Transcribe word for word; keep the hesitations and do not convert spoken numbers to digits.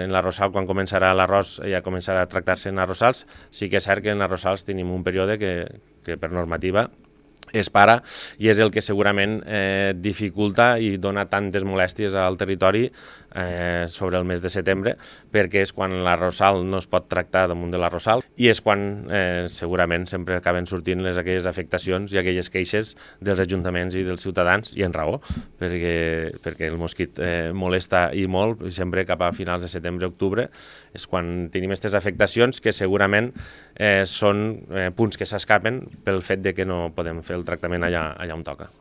En l'arrossal, quan començarà l'arròs, ja començarà a tractar-se en arrossals. Sí que és cert que en arrossals tenim un període que, que per normativa es para i és el que segurament eh, dificulta i dona tantes molèsties al territori eh, sobre el mes de setembre, perquè és quan l'arrossal no es pot tractar damunt de l'arrossal i és quan eh, segurament sempre acaben sortint les aquelles afectacions i aquelles queixes dels ajuntaments i dels ciutadans, i en raó, perquè, perquè el mosquit eh, molesta i molt, i sempre cap a finals de setembre-octubre és quan tenim aquestes afectacions que segurament eh, són eh, punts que s'escapen pel fet de que no podem fer el tractament allà, allà on toca.